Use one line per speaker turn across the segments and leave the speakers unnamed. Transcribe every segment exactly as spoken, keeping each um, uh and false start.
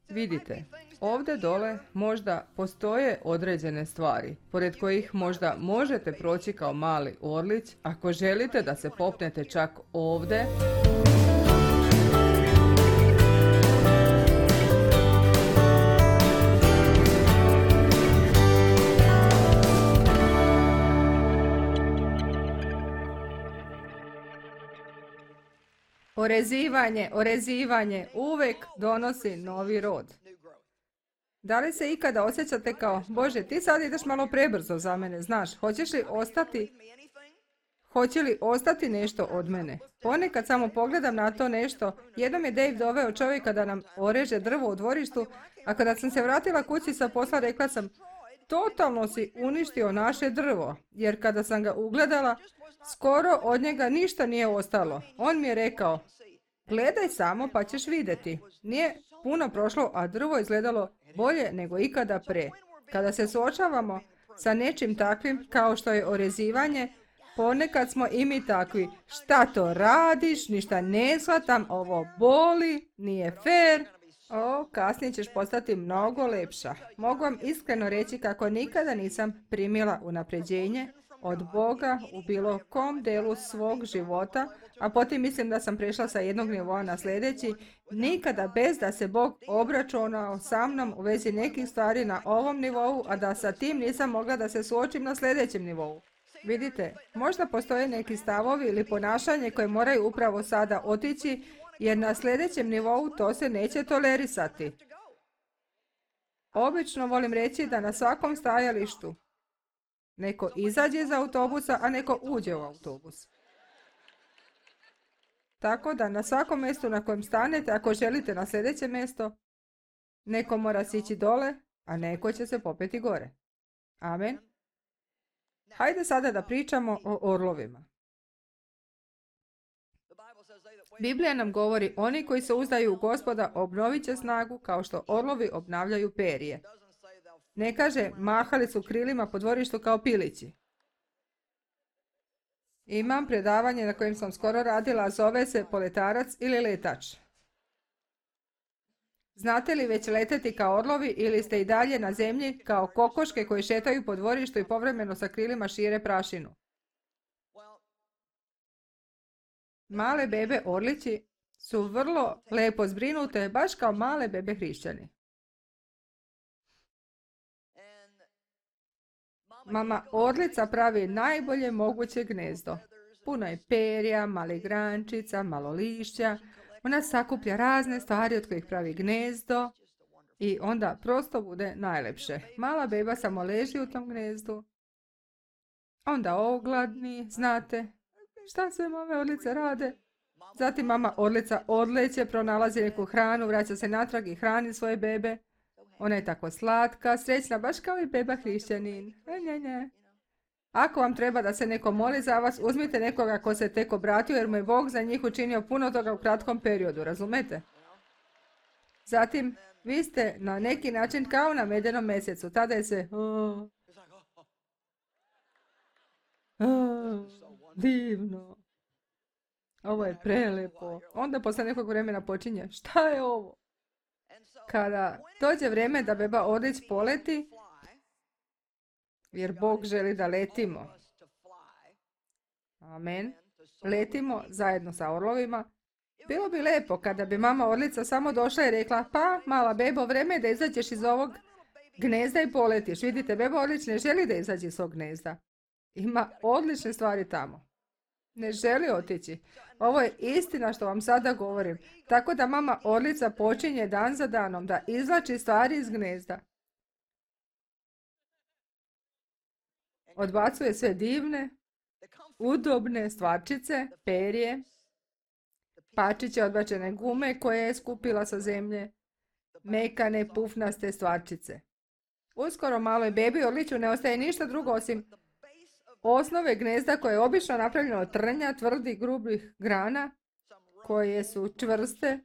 Vidite, ovdje dole možda postoje određene stvari, pored kojih možda možete proći kao mali orlić ako želite da se popnete čak ovdje. Orezivanje, orezivanje uvijek donosi novi rod. Da li se ikada osjećate kao, Bože, ti sad ideš malo prebrzo za mene, znaš, hoćeš li ostati, hoće li ostati nešto od mene? Ponekad samo pogledam na to nešto, jednom je Dave doveo čovjeka da nam oreže drvo u dvorištu, a kada sam se vratila kući sa posla rekla sam, totalno si uništio naše drvo, jer kada sam ga ugledala, skoro od njega ništa nije ostalo. On mi je rekao, gledaj samo pa ćeš vidjeti. Nije puno prošlo, a drvo izgledalo bolje nego ikada pre. Kada se suočavamo sa nečim takvim kao što je orezivanje, ponekad smo i mi takvi. Šta to radiš, ništa ne shvatam, ovo boli, nije fair. O, kasnije ćeš postati mnogo lepša. Mogu vam iskreno reći kako nikada nisam primila unapređenje od Boga u bilo kom delu svog života, a potim mislim da sam prešla sa jednog nivoa na sljedeći, nikada bez da se Bog obračunao sa mnom u vezi nekih stvari na ovom nivou, a da sa tim nisam mogla da se suočim na sljedećem nivou. Vidite, možda postoje neki stavovi ili ponašanje koje moraju upravo sada otići, jer na sljedećem nivou to se neće tolerisati. Obično volim reći da na svakom stajalištu neko izađe iz autobusa, a neko uđe u autobus. Tako da na svakom mjestu na kojem stanete, ako želite na sljedeće mjesto, neko mora sići dole, a neko će se popeti gore. Amen. Hajde sada da pričamo o orlovima. Biblija nam govori, oni koji se uzdaju u Gospoda obnovit će snagu kao što orlovi obnavljaju perje. Ne kaže, mahali su krilima po dvorištu kao pilići. Imam predavanje na kojem sam skoro radila, zove se poletarac ili letač. Znate li već leteti kao orlovi ili ste i dalje na zemlji kao kokoške koji šetaju po dvorištu i povremeno sa krilima šire prašinu? Male bebe orlići su vrlo lepo zbrinute, baš kao male bebe hrišćani. Mama orlica pravi najbolje moguće gnezdo. Puno je perja, malih grančica, malo lišća. Ona sakuplja razne stvari od kojih pravi gnezdo i onda prosto bude najlepše. Mala beba samo leži u tom gnezdu. Onda ogladni, znate. Šta sve mame orlice rade? Zatim mama orlica odleće, pronalazi neku hranu, vraća se natrag i hrani svoje bebe. Ona je tako slatka, srećna, baš kao i beba hrišćanin. E, nje, nje. Ako vam treba da se neko moli za vas, uzmite nekoga ko se tek obratio, jer mu je Bog za njih učinio puno toga u kratkom periodu, razumete? Zatim, vi ste na neki način kao na medenom mjesecu. Tada je se... Oh, oh, divno. Ovo je prelepo. Onda posle nekog vremena počinje. Šta je ovo? Kada dođe vrijeme da beba orlić poleti, jer Bog želi da letimo. Amen. Letimo zajedno sa orlovima. Bilo bi lepo kada bi mama orlica samo došla i rekla, pa mala bebo, vreme je da izađeš iz ovog gnezda i poletiš. Vidite, beba orlić ne želi da izađe iz svog gnezda. Ima odlične stvari tamo. Ne želi otići. Ovo je istina što vam sada govorim. Tako da mama orlica počinje dan za danom da izvlači stvari iz gnezda. Odbacuje sve divne, udobne stvarčice, perje, pačiće odbačene gume koje je skupila sa zemlje, mekane, pufnaste stvarčice. Uskoro maloj bebi orliću ne ostaje ništa drugo osim osnove gnezda koje je obično napravljeno od trnja, tvrdih, grubih grana, koje su čvrste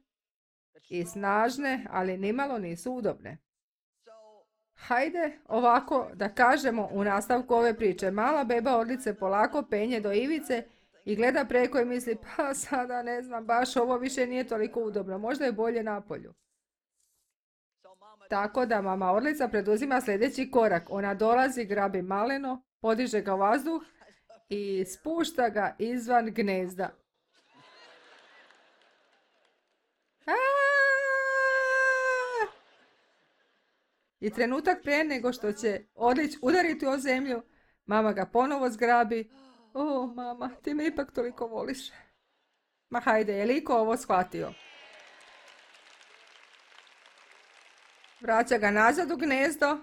i snažne, ali nimalo nisu udobne. Hajde ovako da kažemo u nastavku ove priče. Mala beba orlice polako penje do ivice i gleda preko i misli, pa sada ne znam, baš ovo više nije toliko udobno, možda je bolje napolju. Tako da mama orlica preduzima sljedeći korak. Ona dolazi, grabi maleno, podiže ga u vazduh i spušta ga izvan gnezda. Aaaa! I trenutak prije nego što će odlić udariti o zemlju, mama ga ponovo zgrabi. O, mama, ti me ipak toliko voliš. Ma hajde, je li iko ovo shvatio? Vraća ga nazad u gnezdo.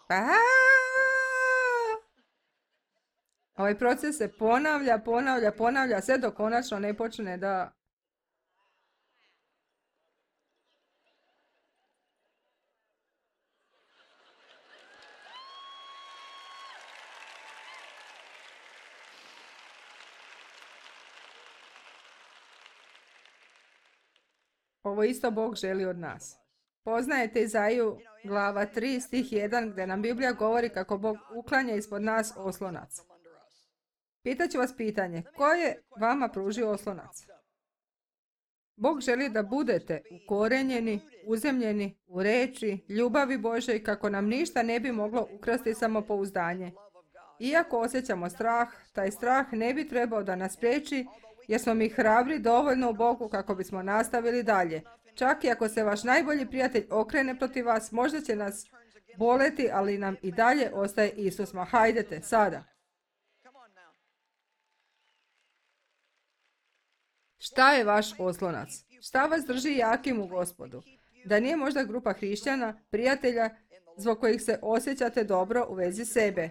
Aaaa! Ovaj proces se ponavlja, ponavlja, ponavlja, sve dok konačno ne počne da... Ovo isto Bog želi od nas. Poznajete Izaiju glava tri stih jedan gdje nam Biblija govori kako Bog uklanja ispod nas oslonac. Pitaću vas pitanje, ko je vama pružio oslonac? Bog želi da budete ukorenjeni, uzemljeni u reči, ljubavi Božoj kako nam ništa ne bi moglo ukrasti samopouzdanje. Iako osjećamo strah, taj strah ne bi trebao da nas priječi jer smo mi hrabri dovoljno u Bogu kako bismo nastavili dalje. Čak i ako se vaš najbolji prijatelj okrene protiv vas, možda će nas boleti, ali nam i dalje ostaje Isus. Ma hajdete, sada. Šta je vaš oslonac? Šta vas drži jakim u Gospodu? Da nije možda grupa hrišćana, prijatelja, zbog kojih se osjećate dobro u vezi sebe?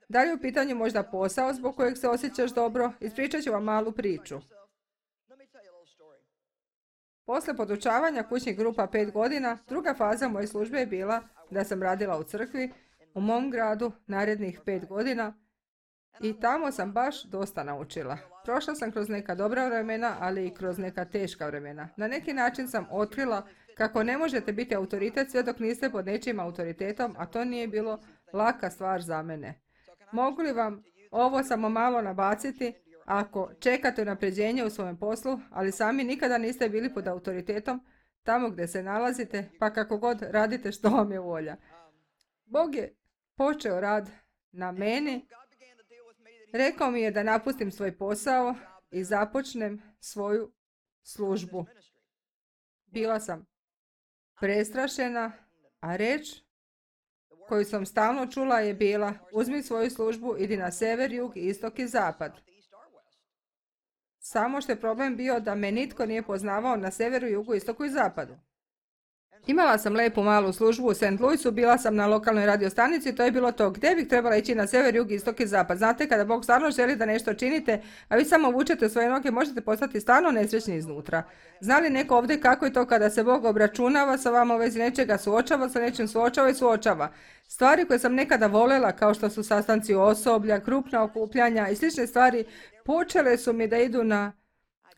Da li je u pitanju možda posao zbog kojeg se osjećaš dobro? Ispričat ću vam malu priču. Posle podučavanja kućnih grupa pet godina, druga faza moje službe je bila da sam radila u crkvi u mom gradu narednih pet godina i tamo sam baš dosta naučila. Prošla sam kroz neka dobra vremena, ali i kroz neka teška vremena. Na neki način sam otkrila kako ne možete biti autoritet sve dok niste pod nečijim autoritetom, a to nije bilo laka stvar za mene. Mogu li vam ovo samo malo nabaciti? Ako čekate unapređenje u svojem poslu, ali sami nikada niste bili pod autoritetom tamo gdje se nalazite, pa kako god radite što vam je volja. Bog je počeo rad na meni, rekao mi je da napustim svoj posao i započnem svoju službu. Bila sam prestrašena, a reč koju sam stalno čula je bila: uzmi svoju službu, idi na sever, jug, istok i zapad. Samo što je problem bio da me nitko nije poznavao na severu, jugu, istoku i zapadu. Imala sam lepu malu službu u Saint Louisu, bila sam na lokalnoj radiostanici i to je bilo to. Gdje bih trebala ići na sever, jug, istok i zapad? Znate, kada Bog stvarno želi da nešto činite, a vi samo vučete svoje noge, možete postati stvarno nesrećni iznutra. Zna li neko ovdje kako je to kada se Bog obračunava sa vama u vezi nečega, suočava sa nečim, suočava i suočava? Stvari koje sam nekada voljela, kao što su sastanci osoblja, krupna okupljanja i slične stvari, počele su mi da idu na...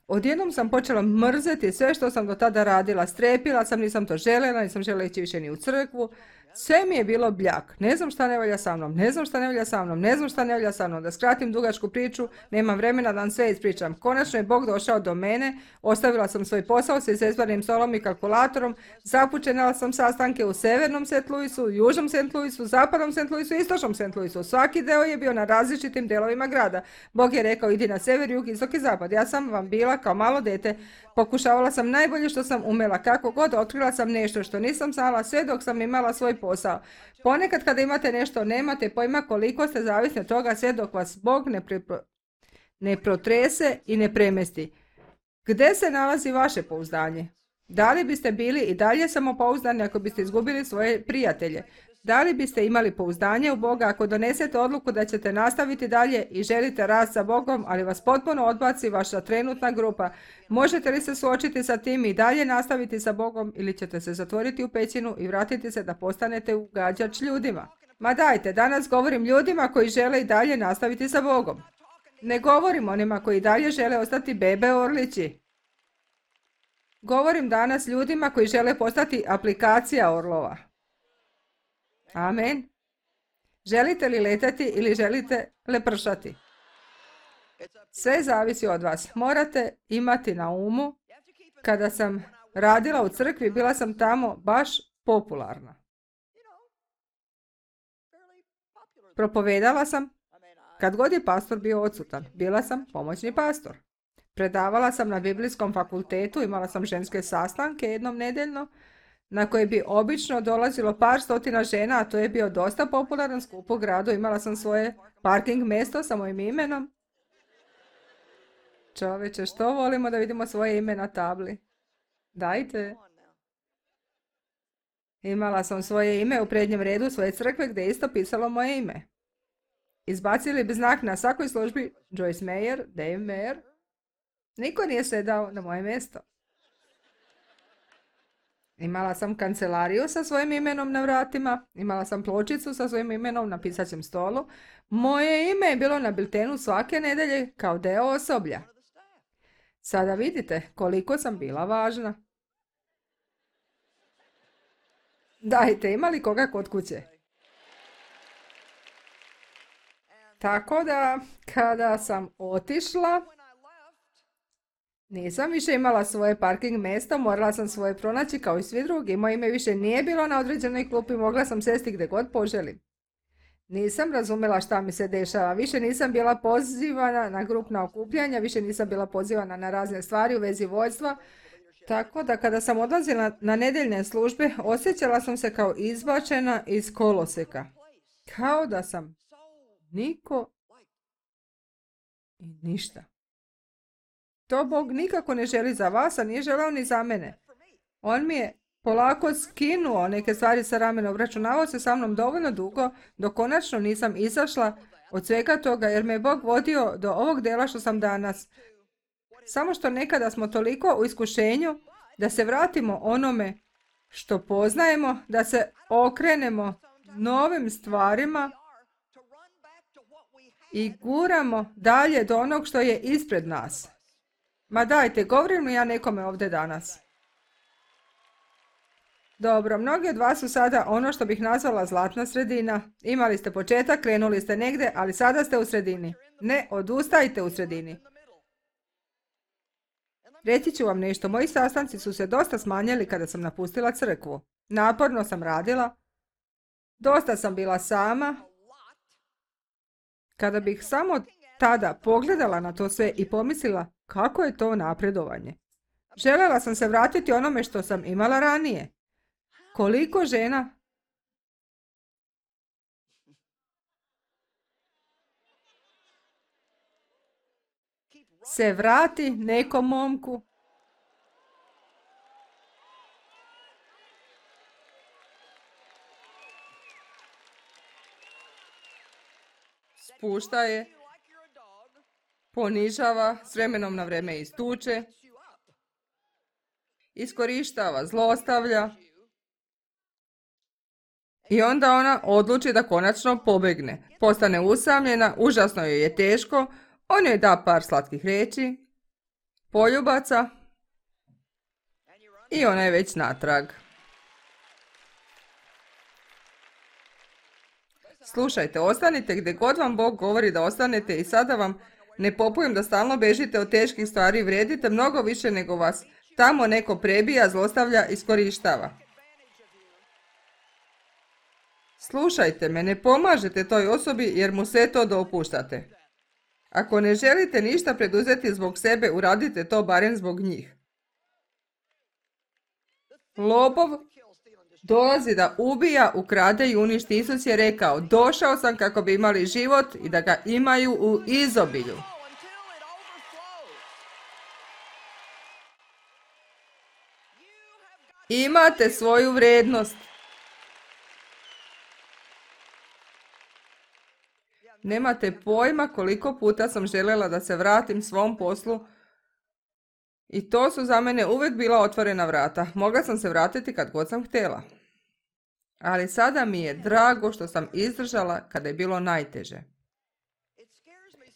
Odjednom sam počela mrzeti sve što sam do tada radila. Strepila sam, nisam to željela, nisam željela ići više ni u crkvu. Sve mi je bilo bljak. Ne znam šta ne valja sa mnom, ne znam šta ne valja sa mnom, ne znam šta ne valja sa mnom. Da skratim dugačku priču, nemam vremena da vam sve ispričam. Konačno je Bog došao do mene, ostavila sam svoj posao sa izezvanim stolom i kalkulatorom, započela sam sastanke u severnom Saint Louisu, južnom Saint Louisu, zapadnom Saint Louisu i istočnom Saint Louisu. Svaki deo je bio na različitim delovima grada. Bog je rekao: idi na sever, jug, istok i zapad. Ja sam vam bila kao malo dete. Pokušavala sam najbolje što sam umela, kako god, otkrila sam nešto što nisam znala sve dok sam imala svoj posao. Ponekad kada imate nešto, nemate pojma koliko ste zavisni od toga sve dok vas Bog ne, pripro... ne protrese i ne premesti. Gde se nalazi vaše pouzdanje? Da li biste bili i dalje samopouzdani ako biste izgubili svoje prijatelje? Da li biste imali pouzdanje u Boga ako donesete odluku da ćete nastaviti dalje i želite rast sa Bogom, ali vas potpuno odbaci vaša trenutna grupa? Možete li se suočiti sa tim i dalje nastaviti sa Bogom, ili ćete se zatvoriti u pećinu i vratiti se da postanete ugađač ljudima? Ma dajte, danas govorim ljudima koji žele i dalje nastaviti sa Bogom. Ne govorim onima koji dalje žele ostati bebe orlići. Govorim danas ljudima koji žele postati aplikacija orlova. Amen. Želite li letati ili želite lepršati? Sve zavisi od vas. Morate imati na umu, kada sam radila u crkvi, bila sam tamo baš popularna. Propovedala sam kad god je pastor bio odsutan. Bila sam pomoćni pastor. Predavala sam na biblijskom fakultetu, imala sam ženske sastanke jednom nedeljno, na koje bi obično dolazilo par stotina žena, a to je bio dosta popularan skup u gradu. Imala sam svoje parking mjesto sa mojim imenom. Čoveče, što volimo da vidimo svoje ime na tabli? Dajte. Imala sam svoje ime u prednjem redu svoje crkve gdje je isto pisalo moje ime. Izbacili bi znak na svakoj službi Joyce Meyer, Dave Meyer. Niko nije sedao na moje mjesto. Imala sam kancelariju sa svojim imenom na vratima, imala sam pločicu sa svojim imenom na pisaćem stolu. Moje ime je bilo na biltenu svake nedelje kao deo osoblja. Sada vidite koliko sam bila važna. Dajte, ima li koga kod kuće? Tako da, kada sam otišla, nisam više imala svoje parking mjesto, morala sam svoje pronaći kao i svi drugi. Moje ime više nije bilo na određenoj klupi, mogla sam sesti gdje god poželim. Nisam razumjela šta mi se dešava, više nisam bila pozivana na grupna okupljanja, više nisam bila pozivana na razne stvari u vezi vođstva, tako da kada sam odlazila na nedeljne službe, osjećala sam se kao izbačena iz koloseka. Kao da sam niko i ništa. To Bog nikako ne želi za vas, a nije želeo ni za mene. On mi je polako skinuo neke stvari sa ramena, obračunavao se sa mnom dovoljno dugo, dok konačno nisam izašla od svega toga, jer me je Bog vodio do ovog dela što sam danas. Samo što nekada smo toliko u iskušenju da se vratimo onome što poznajemo, da se okrenemo novim stvarima i guramo dalje do onog što je ispred nas. Ma dajte, govorim li ja nekome ovdje danas? Dobro, mnogi od vas su sada ono što bih nazvala zlatna sredina. Imali ste početak, krenuli ste negdje, ali sada ste u sredini. Ne odustajte u sredini. Reći ću vam nešto, moji sastanci su se dosta smanjili kada sam napustila crkvu. Naporno sam radila, dosta sam bila sama. Kada bih samo tada pogledala na to sve i pomislila kako je to napredovanje. Željela sam se vratiti onome što sam imala ranije. Koliko žena se vrati nekom momku spušta je, ponižava, s vremenom na vrijeme istuče, iskorištava, zlostavlja i onda ona odluči da konačno pobegne. Postane usamljena, užasno joj je teško, on joj da par slatkih riječi, poljubaca i ona je već natrag. Slušajte, ostanite gdje god vam Bog govori da ostanete i sada vam ne popujem da stalno bežite od teških stvari, vrijedite mnogo više nego vas tamo neko prebija, zlostavlja, iskorištava. Slušajte me, ne pomažete toj osobi jer mu sve to dopuštate. Ako ne želite ništa preduzeti zbog sebe, uradite to barem zbog njih. Lopov dolazi da ubija, ukrade i uništi. Isus je rekao, došao sam kako bi imali život i da ga imaju u izobilju. Imate svoju vrijednost. Nemate pojma koliko puta sam željela da se vratim svom poslu i to su za mene uvijek bila otvorena vrata. Mogla sam se vratiti kad god sam htjela. Ali sada mi je drago što sam izdržala kada je bilo najteže.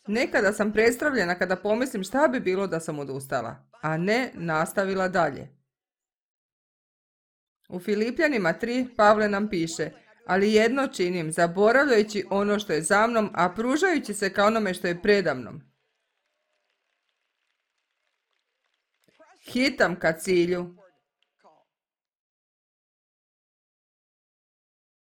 Nekada sam prestravljena kada pomislim šta bi bilo da sam odustala, a ne nastavila dalje. U Filipljanima tri Pavle nam piše, ali jedno činim, zaboravljajući ono što je za mnom, a pružajući se ka onome što je predamnom. Hitam ka cilju.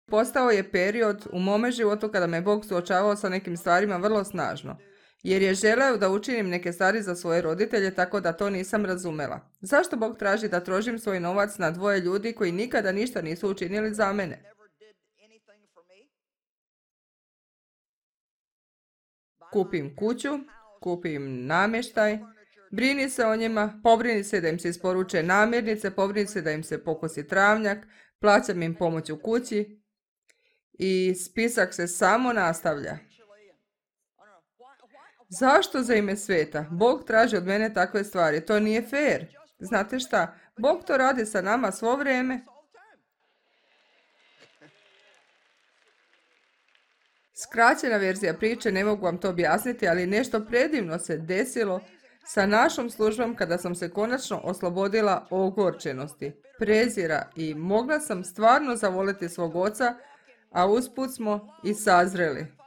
postao je period u mome životu kada me Bog suočavao sa nekim stvarima vrlo snažno. Jer je želeo da učinim neke stvari za svoje roditelje, tako da to nisam razumela. Zašto Bog traži da trošim svoj novac na dvoje ljudi koji nikada ništa nisu učinili za mene? Kupim kuću, kupim namještaj, brini se o njima, pobrini se da im se isporuče namirnice, pobrini se da im se pokosi travnjak, plaćam im pomoć u kući i spisak se samo nastavlja. Zašto za ime sveta? Bog traži od mene takve stvari. To nije fair. Znate šta? Bog to radi sa nama svo vrijeme. Skraćena verzija priče, ne mogu vam to objasniti, ali nešto predivno se desilo sa našom službom kada sam se konačno oslobodila ogorčenosti, prezira i mogla sam stvarno zavoliti svog oca, a usput smo i sazreli.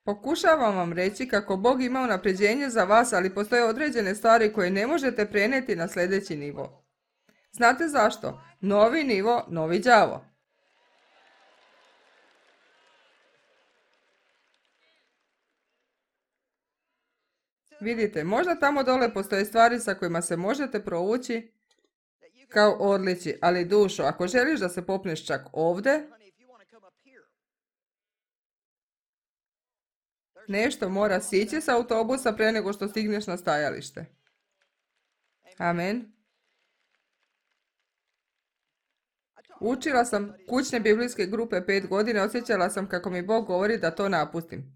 Pokušavam vam reći kako Bog ima unapređenje za vas, ali postoje određene stvari koje ne možete prenijeti na sljedeći nivo. Znate zašto? Novi nivo, novi đavo. Vidite, možda tamo dole postoje stvari sa kojima se možete provući kao odliči, ali dušo, ako želiš da se popneš čak ovdje, nešto mora sići sa autobusa pre nego što stigneš na stajalište. Amen. Učila sam kućne biblijske grupe pet godina, osjećala sam kako mi Bog govori da to napustim.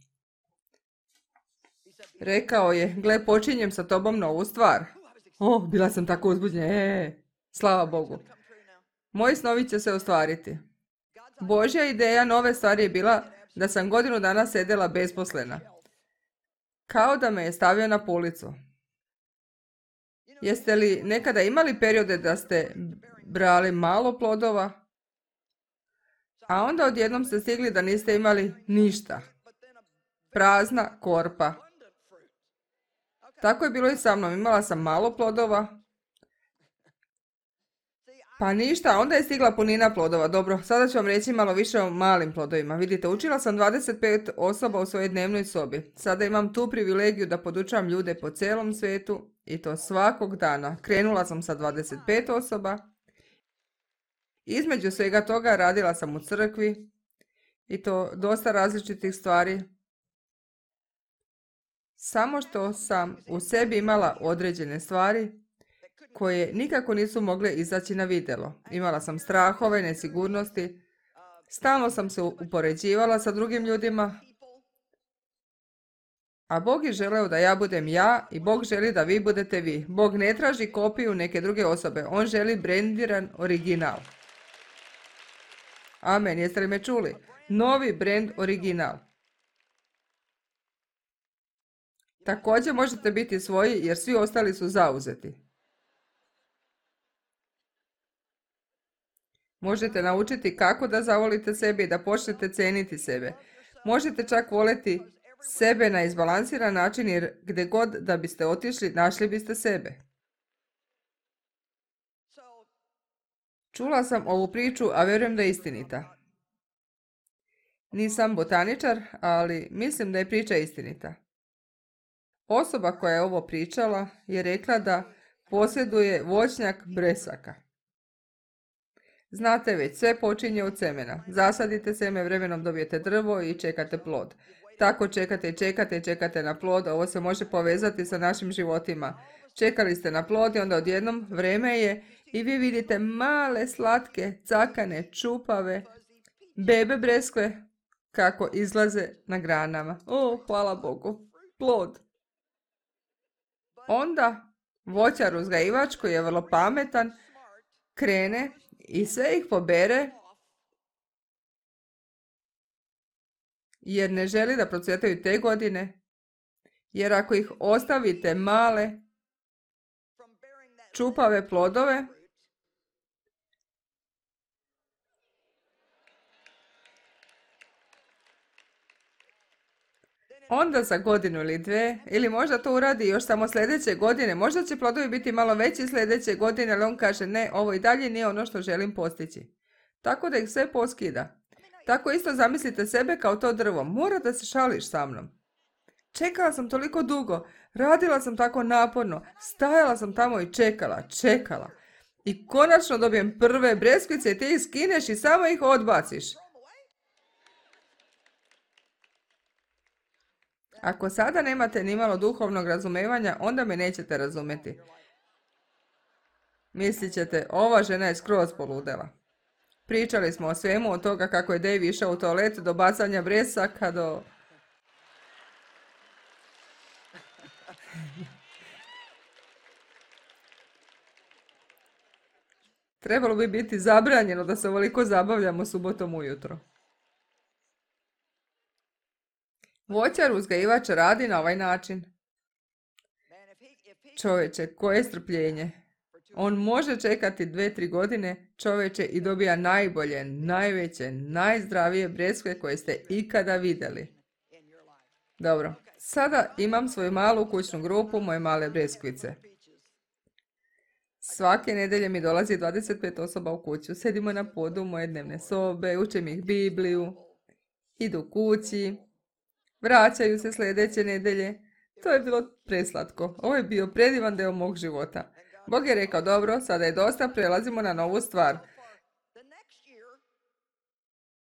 Rekao je, gle, počinjem sa tobom novu stvar. O, bila sam tako uzbuđena, e, slava Bogu. Moji snovi će se ostvariti. Božja ideja nove stvari je bila da sam godinu dana sedela besposlena. Kao da me je stavio na policu. Jeste li nekada imali periode da ste brali malo plodova, a onda odjednom ste stigli da niste imali ništa? Prazna korpa. Tako je bilo i sa mnom. Imala sam malo plodova, pa ništa, onda je stigla punina plodova. Dobro, sada ću vam reći malo više o malim plodovima. Vidite, učila sam dvadeset pet osoba u svojoj dnevnoj sobi. Sada imam tu privilegiju da podučavam ljude po cijelom svijetu i to svakog dana. Krenula sam sa dvadeset pet osoba. Između svega toga radila sam u crkvi i to dosta različitih stvari. Samo što sam u sebi imala određene stvari koje nikako nisu mogle izaći na vidjelo. Imala sam strahove, nesigurnosti, stalno sam se upoređivala sa drugim ljudima, a Bog je želeo da ja budem ja i Bog želi da vi budete vi. Bog ne traži kopiju neke druge osobe, on želi brendiran original. Amen, jeste li me čuli? Novi brand original. Također možete biti svoji jer svi ostali su zauzeti. Možete naučiti kako da zavolite sebe i da počnete ceniti sebe. Možete čak voliti sebe na izbalansiran način jer gdje god da biste otišli, našli biste sebe. Čula sam ovu priču, a vjerujem da je istinita. Nisam botaničar, ali mislim da je priča istinita. Osoba koja je ovo pričala je rekla da posjeduje voćnjak bresaka. Znate već, sve počinje od semena. Zasadite seme, vremenom dobijete drvo i čekate plod. Tako čekate i čekate i čekate na plod. Ovo se može povezati sa našim životima. Čekali ste na plod i onda odjednom vreme je i vi vidite male, slatke, cakane, čupave, bebe breskve kako izlaze na granama. O, hvala Bogu, plod. Onda voćar uzgajivač koji je vrlo pametan krene i sve ih pobere jer ne želi da procvjetaju te godine, jer ako ih ostavite male, čupave plodove, Onda za godinu ili dve, ili možda to uradi još samo sljedeće godine, možda će plodovi biti malo veći sljedeće godine, ali on kaže ne, ovo i dalje nije ono što želim postići. Tako da ih sve poskida. Tako isto zamislite sebe kao to drvo, mora da se šališ sa mnom. Čekala sam toliko dugo, radila sam tako naporno, stajala sam tamo i čekala, čekala. I konačno dobijem prve breskvice i ti ih skineš i samo ih odbaciš. Ako sada nemate ni malo duhovnog razumevanja, onda me nećete razumjeti. Mislit ćete, ova žena je skroz poludela. Pričali smo o svemu, od toga kako je Dave išao u toalet, do bacanja bresaka, do... Trebalo bi biti zabranjeno da se ovoliko zabavljamo subotom ujutro. Voćar uzgajivač radi na ovaj način. Čovječe, koje strpljenje. On može čekati dve, tri godine, čovječe, i dobija najbolje, najveće, najzdravije breskve koje ste ikada vidjeli. Dobro, sada imam svoju malu kućnu grupu, moje male breskvice. Svake nedelje mi dolazi dvadeset pet osoba u kuću. Sedimo na podu moje dnevne sobe, učim ih Bibliju, idu kući, vraćaju se sljedeće nedelje. To je bilo preslatko. Ovo je bio predivan deo mog života. Bog je rekao, dobro, sada je dosta, prelazimo na novu stvar.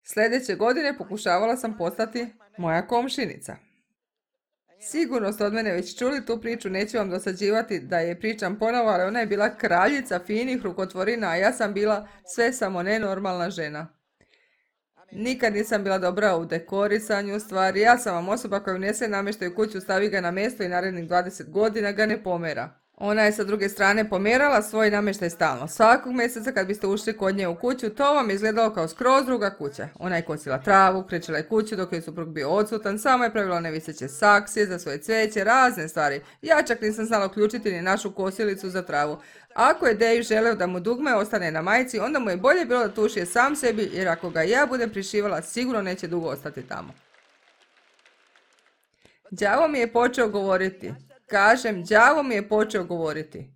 Sljedeće godine pokušavala sam postati moja komšinica. Sigurno ste od mene već čuli tu priču, neću vam dosađivati da je pričam ponovo, ali ona je bila kraljica finih rukotvorina, a ja sam bila sve samo nenormalna žena. Nikad nisam bila dobra u dekorisanju stvari, ja sam vam osoba koja unese namještaj u kuću, stavi ga na mjesto i narednih dvadeset godina ga ne pomera. Ona je sa druge strane pomerala svoj namještaj stalno. Svakog mjeseca kad biste ušli kod nje u kuću, to vam je izgledalo kao skroz druga kuća. Ona je kosila travu, krečila je kuću dok je suprug bio odsutan, sama je pravila neviseće saksije za svoje cveće, razne stvari. Ja čak nisam znala uključiti ni našu kosilicu za travu. Ako je Dave želeo da mu dugme ostane na majici, onda mu je bolje bilo da tušije sam sebi, jer ako ga ja budem prišivala, sigurno neće dugo ostati tamo. Đavo mi je počeo govoriti. Kažem, đavo mi je počeo govoriti.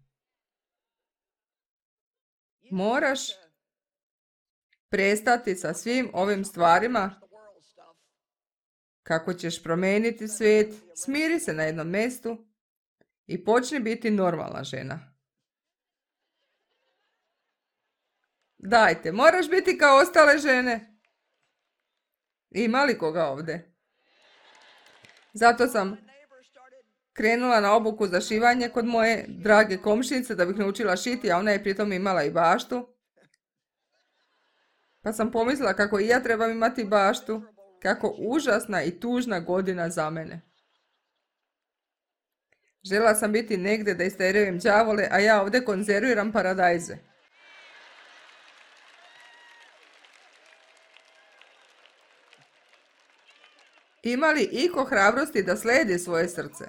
Moraš prestati sa svim ovim stvarima. Kako ćeš promijeniti svijet, smiri se na jednom mjestu i počni biti normalna žena. Dajte, moraš biti kao ostale žene. Ima li koga ovdje? Zato sam krenula na obuku za šivanje kod moje drage komšinice da bih naučila šiti, a ona je pritom imala i baštu. Pa sam pomislila kako i ja trebam imati baštu, kako užasna i tužna godina za mene. Žela sam biti negdje da isterujem đavole, a ja ovdje konzerviram paradajze. Ima li iko hrabrosti da slijedi svoje srce?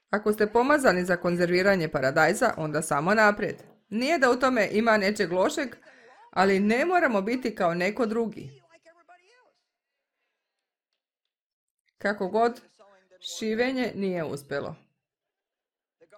Ako ste pomazani za konzerviranje paradajza, onda samo naprijed. Nije da u tome ima nečeg lošeg, ali ne moramo biti kao neko drugi. Kako god, šivenje nije uspjelo.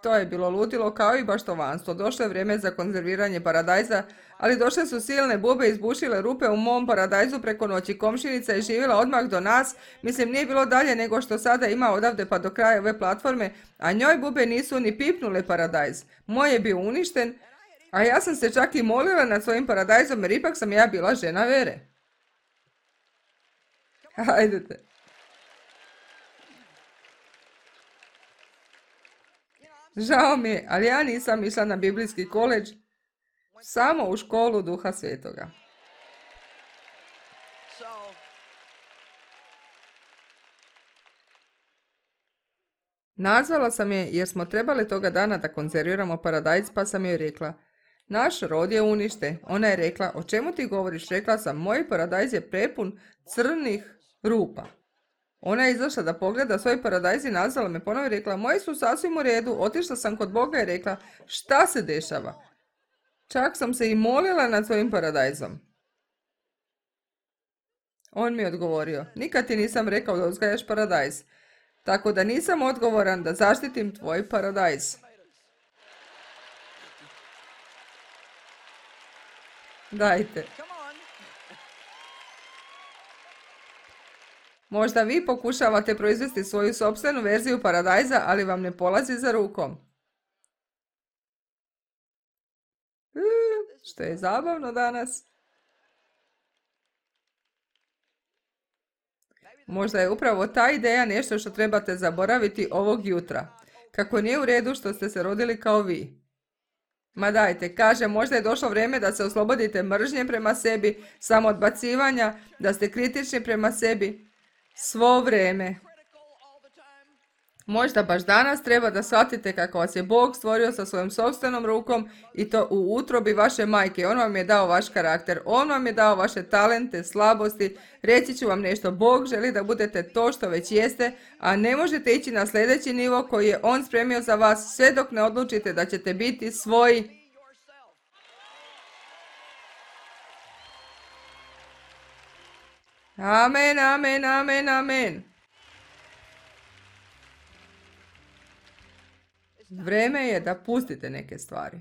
To je bilo ludilo kao i baštovanstvo. Došlo je vrijeme za konzerviranje paradajza, ali došle su silne bube i izbušile rupe u mom paradajzu preko noći. Komšinica je živjela odmah do nas, mislim nije bilo dalje nego što sada ima odavde pa do kraja ove platforme, a njoj bube nisu ni pipnule paradajz. Moj je bio uništen, a ja sam se čak i molila nad svojim paradajzom jer ipak sam ja bila žena vere. Hajdete. Žao mi je, ali ja nisam išla na biblijski koledž, samo u školu Duha Svetoga. Nazvala sam je jer smo trebali toga dana da konzerviramo paradajz, pa sam joj rekla, naš rod je uništen. Ona je rekla, o čemu ti govoriš? Rekla sam, moj paradajz je prepun crnih rupa. Ona je izašla da pogleda svoj paradajz i nazvala me ponovo i rekla, moji su sasvim u redu, otišla sam kod Boga i rekla, šta se dešava? Čak sam se i molila nad svojim paradajzom. On mi je odgovorio, nikad ti nisam rekao da uzgajaš paradajz, tako da nisam odgovoran da zaštitim tvoj paradajz. Dajte. Možda vi pokušavate proizvesti svoju sopstvenu verziju paradajza, ali vam ne polazi za rukom. E, što je zabavno danas. Možda je upravo ta ideja nešto što trebate zaboraviti ovog jutra. Kako nije u redu što ste se rodili kao vi. Ma dajte, kaže, možda je došlo vrijeme da se oslobodite mržnje prema sebi, samoodbacivanja, da ste kritični prema sebi. Svo vrijeme. Možda baš danas treba da shvatite kako vas je Bog stvorio sa svojom sopstvenom rukom i to u utrobi vaše majke. On vam je dao vaš karakter, on vam je dao vaše talente, slabosti. Reći ću vam nešto, Bog želi da budete to što već jeste, a ne možete ići na sljedeći nivo koji je On spremio za vas sve dok ne odlučite da ćete biti svoji. Amen, amen, amen, amen. Vrijeme je da pustite neke stvari.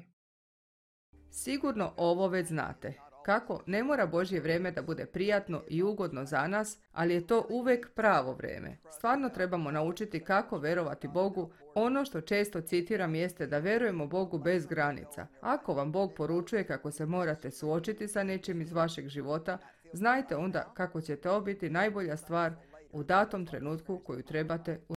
Sigurno ovo već znate. Kako ne mora Božje vrijeme da bude prijatno i ugodno za nas, ali je to uvijek pravo vrijeme. Stvarno trebamo naučiti kako verovati Bogu. Ono što često citiram jeste da verujemo Bogu bez granica. Ako vam Bog poručuje kako se morate suočiti sa nečim iz vašeg života, znajte onda kako će to biti najbolja stvar u datom trenutku koju trebate